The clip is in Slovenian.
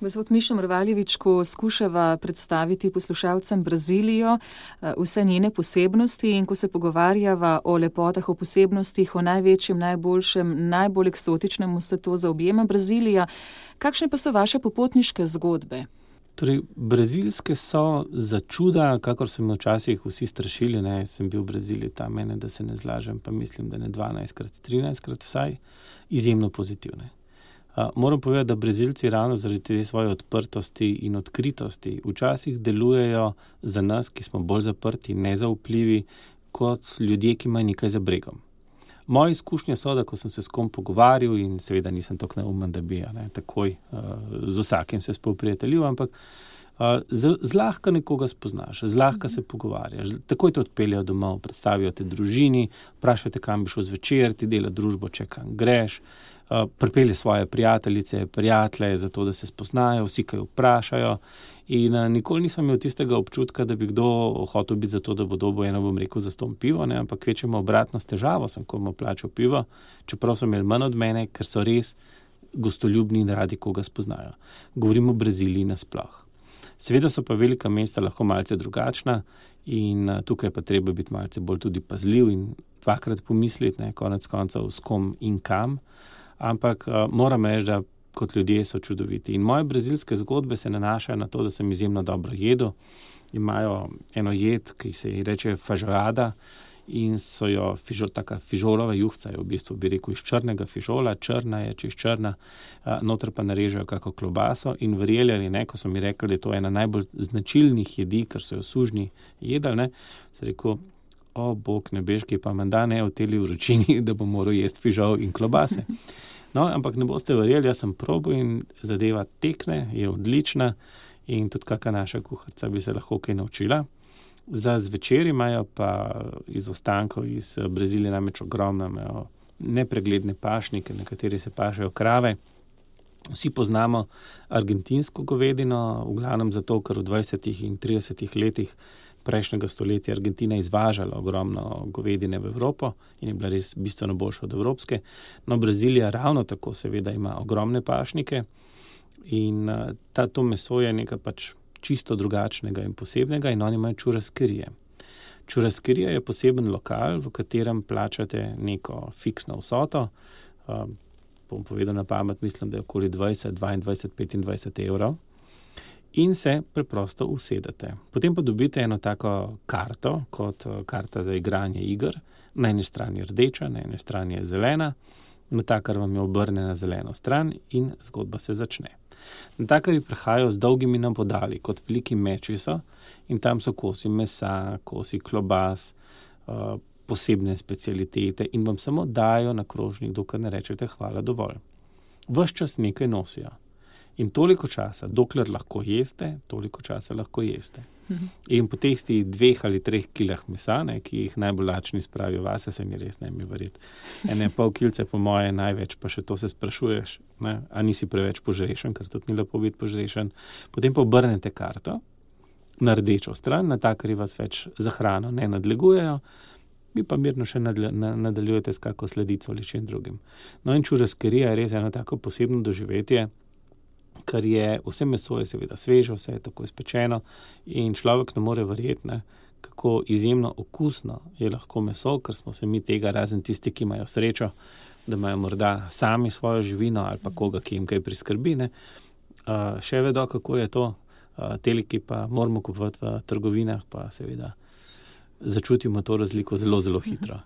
Gospod Mišo Mrvaljevič, ko skušava predstaviti poslušalcem Brazilijo, vse njene posebnosti in ko se pogovarjava o lepotah, o posebnostih, o največjem, najboljšem, najbolj eksotičnem, vse to zaobjema Brazilija, kakšne pa so vaše popotniške zgodbe? Torej, brazilske so za čuda, kakor so me včasih vsi strašili, sem bil v Braziliji tam, da se ne zlažem, pa mislim, da ne 12krat, 13krat vsaj, izjemno pozitivne. Moram povedati, da Brazilci ravno zaradi te svoje odprtosti in odkritosti včasih delujejo za nas, ki smo bolj zaprti, nezaupljivi, kot ljudje, ki imajo nekaj za bregom. Moje izkušnje so, da ko sem se s kom pogovarjal in seveda nisem tako neumen, da bi takoj z vsakim se spoprijateljil, ampak zlahka nekoga spoznaš, zlahka se pogovarjaš, takoj te odpeljejo domov, predstavijo te družini, vprašajo te, kam bi šel zvečer, ti dela družbo, če kam greš, pripelje svoje prijateljice, prijatelje, zato da se spoznajo, vsi kaj vprašajo in nikoli nisem imel tistega občutka, da bi kdo hotel biti zato, da bo dobil eno, bom rekel, zastonj pivo, ampak kvečjemu obratno s težavo sem komu plačal pivo, čeprav so imeli manj od mene, ker so res gostoljubni in radi koga spoznajo. Govorimo o Braziliji nasploh. Seveda so pa velika mesta lahko malce drugačna in tukaj pa treba biti malce bolj tudi pazljiv in dvakrat pomisliti, konec koncev s kom in kam, ampak moram reči, da kot ljudje so čudoviti. In moje brazilske zgodbe se nanašajo na to, da sem izjemno dobro jedel. Imajo eno jed, ki se ji reče feijoada in so jo taka fižolova juhca je v bistvu, bi rekel, iz črnega fižola, črna je, čez črna, noter pa narežejo kako klobaso in verjeli ali ne, ko so mi rekli, da je to ena najbolj značilnih jedi, ker so jo sužnji jedli, sem rekel, o bog nebeški, pa menda ne v teli vročini, da bom moral jesti fižol in klobase. No, ampak ne boste verjeli, jaz sem probal in zadeva tekne, je odlična in tudi kakšna naša kuharica bi se lahko kaj naučila. Za zvečer imajo pa iz ostankov iz Brazilije namreč ogromno, imajo nepregledne pašnike, na kateri se pašejo krave. Vsi poznamo argentinsko govedino, v glavnem zato, ker v 20. in 30. letih prejšnjega stoletja Argentina izvažala ogromno govedine v Evropo in je bila res bistveno boljša od evropske. No, Brazilija ravno tako seveda ima ogromne pašnike in to meso je nekaj pač čisto drugačnega in posebnega in oni imajo churraskerije. Churraskerija je poseben lokal, v katerem plačate neko fiksno vsoto, bom povedal na pamet, mislim, da je okoli 20, 22, 25 evrov in se preprosto usedete. Potem pa dobite eno tako karto, kot karta za igranje iger. Na eni strani je rdeča, na eni strani je zelena, natakar vam je obrne na zeleno stran in zgodba se začne. Natakarji prihajajo z dolgimi nabodali, kot veliki meči so in tam so kosi mesa, kosi klobas, posebne specialitete in vam samo dajo na krožnik, dokler ne rečete hvala dovolj. Ves čas nekaj nosijo. In toliko časa, dokler lahko jeste, toliko časa lahko jeste. In po teh 2 ali 3 kilah mesa, ki jih najbolj lačni spravijo vase, se mi res ne mi verjeti. 1,5 kilce po moje največ, pa še to se sprašuješ, a nisi preveč požrešen, ker tudi ni lepo biti požrešen. Potem pa obrnete karto na rdečo stran, natakarji vas več za hrano ne nadlegujejo, vi pa mirno še nadaljujete s kako sledico ali čem drugim. No in churraskerija je res eno tako posebno doživetje, ker je vse meso je seveda sveže, vse je tako izpečeno in človek ne more verjeti, kako izjemno okusno je lahko meso, ker smo se mi tega, razen tisti, ki imajo srečo, da imajo morda sami svojo živino ali pa koga, ki jim kaj priskrbi, še vedo, kako je to, teli, ki pa moramo kupovati v trgovinah, pa seveda začutimo to razliko zelo, zelo hitro.